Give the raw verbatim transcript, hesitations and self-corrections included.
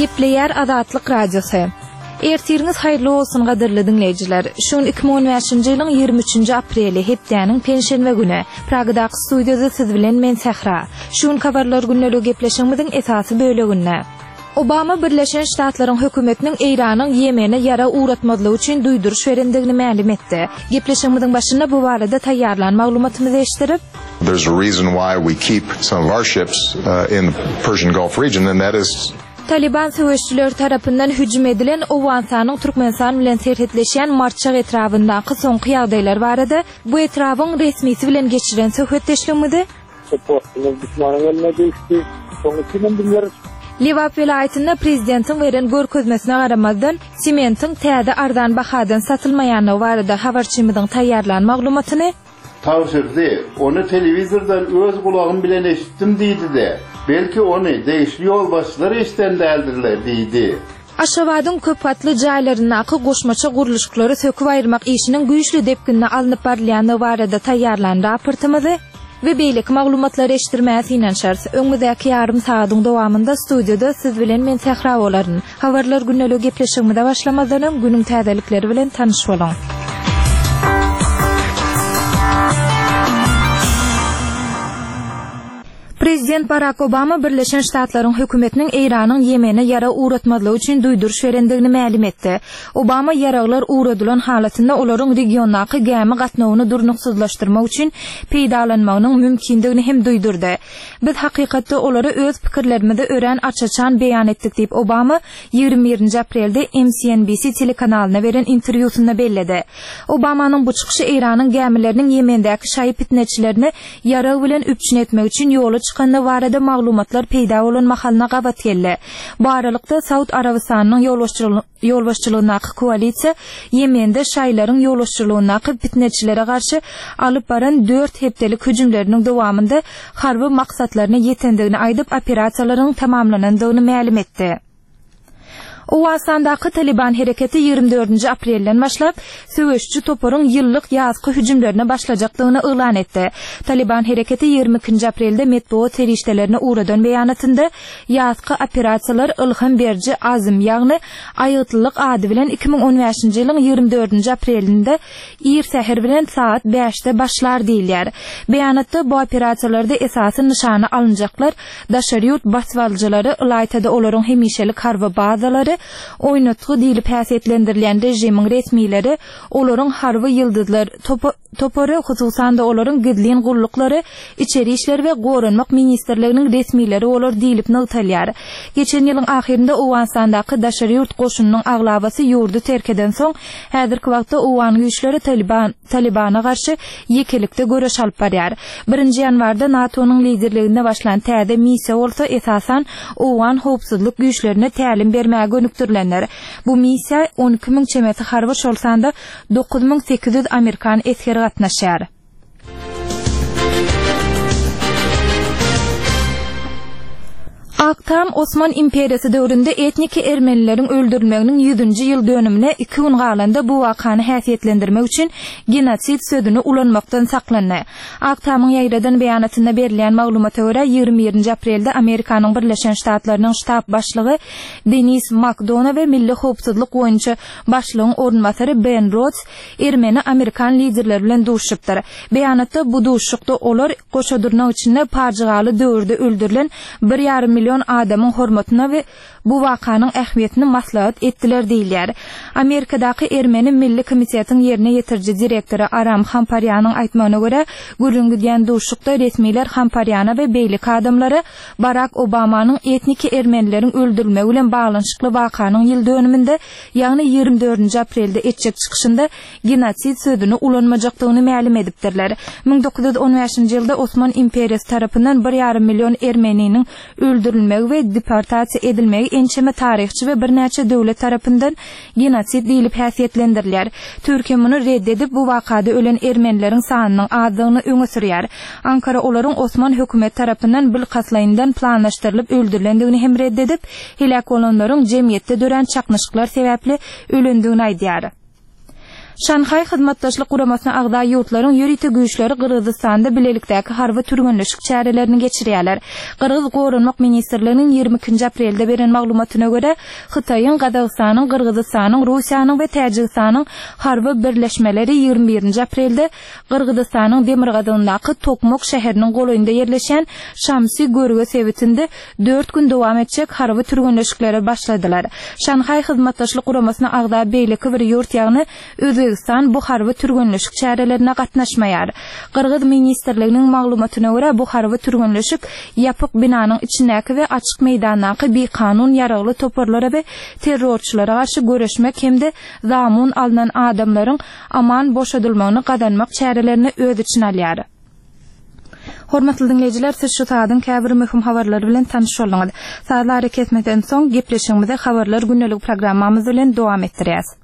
Gepleýär Azatlyk Radiosy. Ertiriňiz haýyrly bolsun gadyrly diňleýjiler. Şu gün iki müň on bäşinji ýylyň ýigrimi üçünji apreli, hepdäniň penşenbe güni. Pragadaky studiýada siz bilen men Sähra. Şu gün habarlar gündeligi gepleşigimiziň esasy böleginde. Obama Birleşen Ştatlaryň hökümetiniň Eýranyň Ýemene ýarag ugratmazlygy üçin duýduryş berendigini mälim etdi. Gepleşigimiziň başynda bu barada taýýarlan maglumatymyzy eşitdirip, There's a reason why we keep some of our ships, uh, in the Persian Gulf region, and that is Taliban söweşçileri tarapyndan hüjüm edilen Owganystanyň Türkmenistan bilen serhetleşýän Marçak etrabyndaky soňky ýagdaýlar barada bu etrabyň resmisi bilen geçiren söhbetdeşligimizi Supportymyz düşmanyň eline düşdi. Soň üçin bizler Lebap welaýatynda prezidentiň beren görkezmesine garamazdan sementiň täze arzan bahadan satylmaýanlygy barada habarçymyzyň taýýarlan maglumatyny Tavşırdı, onu televizordan öz kulağım bilen eşittim deydi de, belki onu değişli yol başları işten deldirler deydi. Aşgabadyň köp gatly jaýlaryndaky goşmaça gurluşyklary söküp aýyrmak işiniň güýçli depginde alnyp barylýanlygy barada taýýarlan raportymyzy we beýleki maglumatlary eşitdirmäge synanyşarys. Öňümizdäki ýarym sagatyň dowamynda studiýada siz bilen men Sähra bolaryn. Habarlar gündelik gepleşigimize başlamazdan öň günüň täzelikleri bilen tanyş boluň. Prezident Barack Obama Birleşen Ştatlaryň hökümetiniň Eýranyň Ýemene ýara ugratmazlygy üçin duýduryş berendigini mälim etdi. Obama ýaraglar ugradylan halatynda olaryň regiondaky gämi gatnawyny durnuksyzlaşdyrmak üçin peýdalanmagynyň mümkindigini hem duýdurdy. Biz hakykatda olary öz pikirlerimizi örän açaçan beýan etdik diýip Obama ýigrimi birinji aprelde M S N B C telekanalyna beren interwýusynda belledi. Obamanyň bu çykyşy Eýranyň gämileriniň Ýemendäki şaýy pitneçilerini ýarag bilen üpjün etmek üçin ýola çykandygy barada maglumatlar peýda bolan mahalyna gabat geldi. Bu aralykda Saud Arabystanynyň ýolbaşçylygy, ýolbaşçylygyndaky koalisiýa Ýemende şaýlaryň ýolbaşçylygyndaky pitneçilere garşy alyp baran dört hepdelik hüjümleriniň dowamynda harby maksatlaryna ýetendigini aýdyp operasiýalaryň tamamlanandygyny mälim etdi. Owganystandaky Taliban hereketi ýigrimi dördünji aprelden başlap söweşçi toparyň ýyllyk ýazky hüjümlerine başlajakdygyny yglan etdi. Taliban hereketi ýigrimi ikinji aprelde metbugat serişdelerini ugradan beýanatynda ýazky operasiýalar ylham beriji azm, ýagny aýgytlylyk ady bilen iki müň on bäşinji ýylyň ýigrimi dördünji aprelinde ir säher bilen saat bäşde başlar diýilýär. Beýanatda bu operasiýalarda esasy nyşana alynjaklar daşary ýurt basbalyjylary, ylaýtada olaryň hemişelik harby bazalary, oýnatgy diýlip häsiýetlendirilýän režimiň resmileri, olaryň harby ýyldyzlar topa-, topary, hususan-da olaryň gizlin gulluklary, içeri işler we goranmak ministrliginiň resmileri bolar diýlip nygtalýar. Geçen ýylyň ahyrynda Owganystandaky daşary ýurt goşunynyň aglabasy ýurdy terk eden soň, häzirki wagtda Owgan güýçleri Taliban, Talibana garşy ýekelikde göreş alyp barýar. Birinji ýanwarda NATO-nyň liderliginde başlan täze missiýa bolsa esasan Owgan howpsuzlyk güýçlerine tälim bermäge gönükdirilenler. Bu missiýa on iki müň çemesi harby, şol sanda dokuz müň sekiz ýüz Amerikan esgeri gatnaşýar. Aktam Osman imperiyası döwründe etnik ermenileriň öldürilmeginiň ýüzünji ýyl dönümine iki gün galanda bu wakany häsiýetlendirmek üçin genosid sözüni ulanmakdan saklandy. Aktamyň ýaýradan beýanatynda berilýän maglumata görä ýigrimi birinji aprelde Amerikanyň Birleşen Ştatlarynyň ştab başlygy Denis McDonough we Milli Howpsuzlyk boýunça başlygyň orunbasary Ben Rhodes ermeni Amerikan liderleri bilen duşupdyr. Beýanatda bu duşukda olar goşa durnak içinde pajygaly döwürde öldürilen bir ýarym milyon adamyň hormatyna we bu wakanyň ähmiýetini maslahat etdiler diýilýär. Amerikadaky Ermeni Milli Komitetiň ýerine ýetiriji direktory Aram Hamparýanyň aýtmagyna görä, gürrüň gidýän duşukda resmiler Hamparýana we beýleki adamlara Barack Obamanyň etniki ermenileriň öldürilmegi bilen baglanyşykly wakanyň ýyl dönüminde, ýagny ýigrimi dördünji aprelde etjek çykyşynda genosid sözüni ulanmajakdygyny mälim edipdirler. Müň dokuz ýüz on bäşinji ýylda Osman imperiyası tarapyndan bir ýarym milyon ermeniniň öldürilmegi we deportasiýa edilmegi ençeme taryhçy we birnäçe döwlet tarapyndan genosid diýlip häsiýetlendirilýär. Türkiýe muny red edip, bu wakada ölen ermenileriň sanynyň azdygyny öňe sürýär. Ankara olaryň Osman hökümet tarapyndan bilkastlaýyndan planlaşdyrylyp öldürilendigini hem red edip, helak bolanlaryň jemgyýetde dörän çaknyşyklar sebäpli ölendigini aýdýar. Şanhaý Hyzmatdaşlyk Guramasyna agza ýurtlaryň ýörite güýçleri Gyrgyzystanda bilelikdäki harby türgenleşik çärelerini geçirýärler. Gyrgyz Goranmak ministrliginiň ýigrimi ikinji aprelde beren maglumatyna görä, Hytaýyň, Gazagystanyň, Gyrgyzystanyň, Russiýanyň we Täjigistanyň harby birleşmeleri ýigrimi birinji aprelde Gyrgyzystanyň demirgazygyndaky Tokmok şäheriniň golaýynda ýerleşýän Şamsi Görge sebitinde dört gün dowam etjek harby türgenleşiklere başladylar. Şanhaý Hyzmatdaşlyk Guramasyna agza beýleki bir ýurt, ýagny Özbegistan bu harby türgenleşik çärelerine gatnaşmaýar. Gyrgyz ministrliginiň maglumatyna görä, bu harby türgenleşik ýapyk binanyň içindäki we açyk meýdandaky bikanun ýaragly toparlara we terrorçylara garşy göreşmek hem-de zamun alnan adamlaryň aman boşadylmagyny gazanmak çärelerini öz içine alýar. Hormatly diňleýjiler, siz şu saadyň käbir möhüm habarlary bilen tanyş bolduňyz. Sazly arakesmeden soň gepleşigimizi Habarlar gündelik programmamyz bilen dowam etdirýäs.